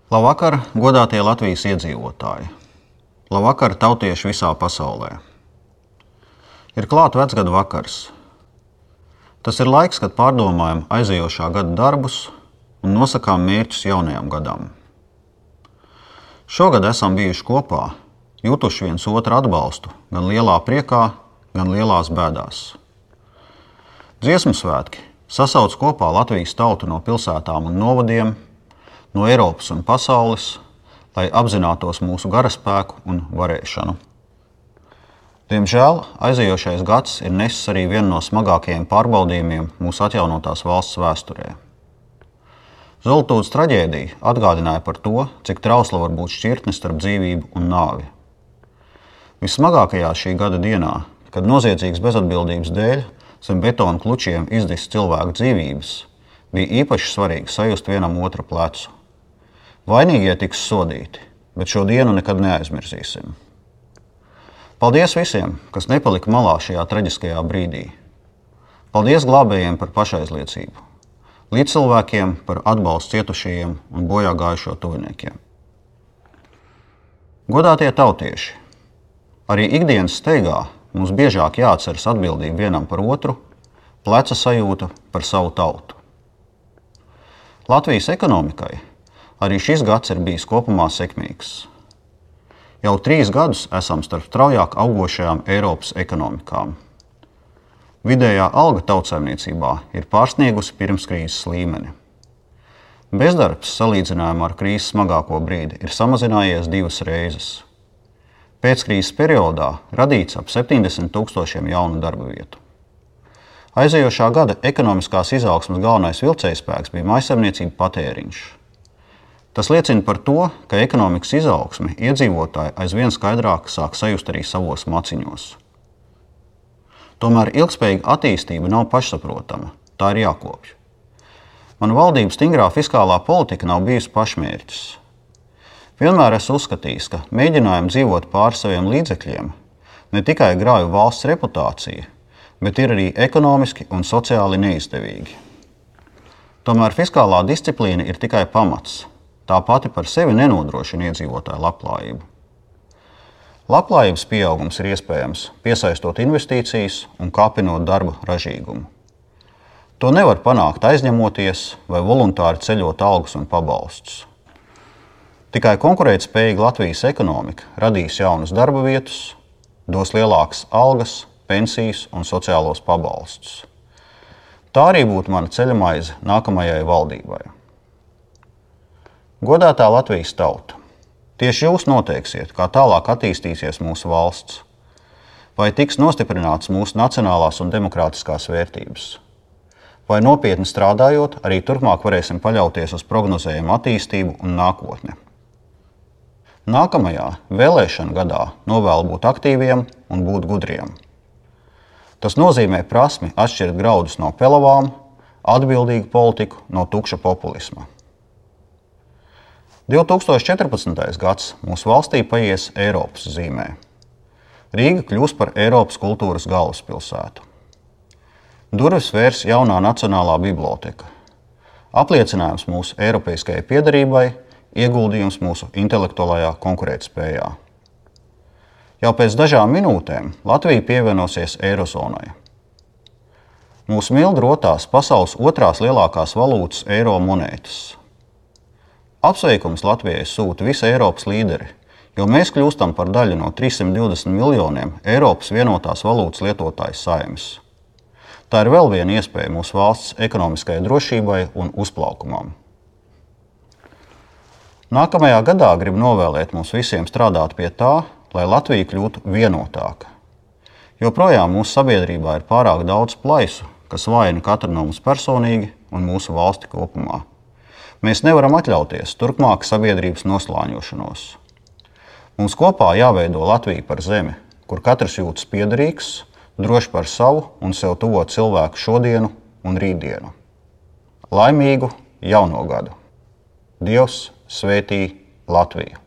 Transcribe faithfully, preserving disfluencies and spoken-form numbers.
Labvakar, godātie Latvijas iedzīvotāji! Labvakar, tautieši visā pasaulē! Ir klāt vecgada vakars. Tas ir laiks, kad pārdomājam aizejošā gada darbus un nosakām mērķus jaunajam gadam. Šogad esam bijuši kopā, jutuši viens otru atbalstu gan lielā priekā, gan lielās bēdās. Dziesmu svētki sasauc kopā Latvijas tautu no pilsētām un novadiem, no Eiropas un pasaules, lai apzinātos mūsu garaspēku un varēšanu. Diemžēl aizejošais gads ir nesis arī vienu no smagākajiem pārbaudījumiem mūsu atjaunotās valsts vēsturē. Zoltūdes traģēdija atgādināja par to, cik trausla var būt šķirtne starp dzīvību un nāvi. Vissmagākajā šī gada dienā, kad noziedzīgas bezatbildības dēļ zem betona klučiem izdis cilvēku dzīvības, bija īpaši svarīgi sajust vienam otru plecu. Vainīgie tiks sodīti, bet šo dienu nekad neaizmirsīsim. Paldies visiem, kas nepalika malā šajā traģiskajā brīdī. Paldies glābējiem par pašaizliecību, līdzcilvēkiem par atbalstu cietušajiem un bojā gājušo tuviniekiem. Godātie tautieši, arī ikdienas steigā mums biežāk jāatceras atbildība vienam par otru, pleca sajūta par savu tautu. Latvijas ekonomikai arī šis gads ir bijis kopumā sekmīgs. Jau trīs gadus esam starp straujāk augošajām Eiropas ekonomikām. Vidējā alga tautsaimniecībā ir pārsniegusi pirmskrīzes līmeni. Bezdarbs salīdzinājumā ar krīzes smagāko brīdi ir samazinājies divas reizes. Pēckrīzes periodā radīts ap septiņdesmit tūkstošiem jaunu darba vietu. Aizejošā gada ekonomiskās izaugsmes galvenais vilcējspēks bija mājsaimniecību patēriņš. Tas liecina par to, ka ekonomikas izaugsmi iedzīvotāji aizvien skaidrāk sāk sajust arī savos maciņos. Tomēr ilgspējīga attīstība nav pašsaprotama, tā ir jākopj. Mana valdības stingrā fiskālā politika nav bijusi pašmērķis. Vienmēr esmu uzskatījis, ka mēģinājumi dzīvot pāri saviem līdzekļiem ne tikai grauj valsts reputāciju, bet ir arī ekonomiski un sociāli neizdevīgi. Tomēr fiskālā disciplīna ir tikai pamats. Tā pati par sevi nenodrošina iedzīvotāju labklājību. Labklājības pieaugums ir iespējams piesaistot investīcijas un kāpinot darba ražīgumu. To nevar panākt aizņemoties vai voluntāri ceļot algas un pabalstus. Tikai konkurētspējīga Latvijas ekonomika radīs jaunas darba vietas, dos lielākas algas, pensijas un sociālos pabalstus. Tā arī būtu mana ceļamaize nākamajai valdībai. Godātā Latvijas tauta, tieši jūs noteiksiet, kā tālāk attīstīsies mūsu valsts, vai tiks nostiprināts mūsu nacionālās un demokrātiskās vērtības, vai nopietni strādājot, arī turpmāk varēsim paļauties uz prognozējumu attīstību un nākotni. Nākamajā vēlēšanu gadā novēlu būt aktīviem un būt gudriem. Tas nozīmē prasmi atšķirt graudus no pelavām, atbildīgu politiku no tukša populisma. divi tūkstoši četrpadsmitais gads mūsu valstī paies Eiropas zīmē. Rīga kļūs par Eiropas kultūras galvaspilsētu. Durvis vērs jaunā Nacionālā biblioteka. Apliecinājums mūsu eiropeiskajai piederībai, ieguldījums mūsu intelektuālajā konkurētspējā. Jau pēc dažām minūtēm Latvija pievienosies Eirozonai. Mūsu mildi rotās pasaules otrās lielākās valūtas eiro monētas. Apsveikums Latvijai sūta visi Eiropas līderi, jo mēs kļūstam par daļu no trīssimt divdesmit miljoniem Eiropas vienotās valūtas lietotāju saimnes. Tā ir vēl viena iespēja mūsu valsts ekonomiskajai drošībai un uzplaukumam. Nākamajā gadā gribu novēlēt mums visiem strādāt pie tā, lai Latvija kļūtu vienotāka. Joprojām mūsu sabiedrībā ir pārāk daudz plaisu, kas vājina katru no mums personīgi un mūsu valsti kopumā. Mēs nevaram atļauties turpmāk sabiedrības noslāņošanos. Mums kopā jāveido Latvija par zemi, kur katrs jūtas piederīgs, droši par savu un sev tuvo cilvēku šodienu un rītdienu. Laimīgu jauno gadu! Dievs svētī Latviju!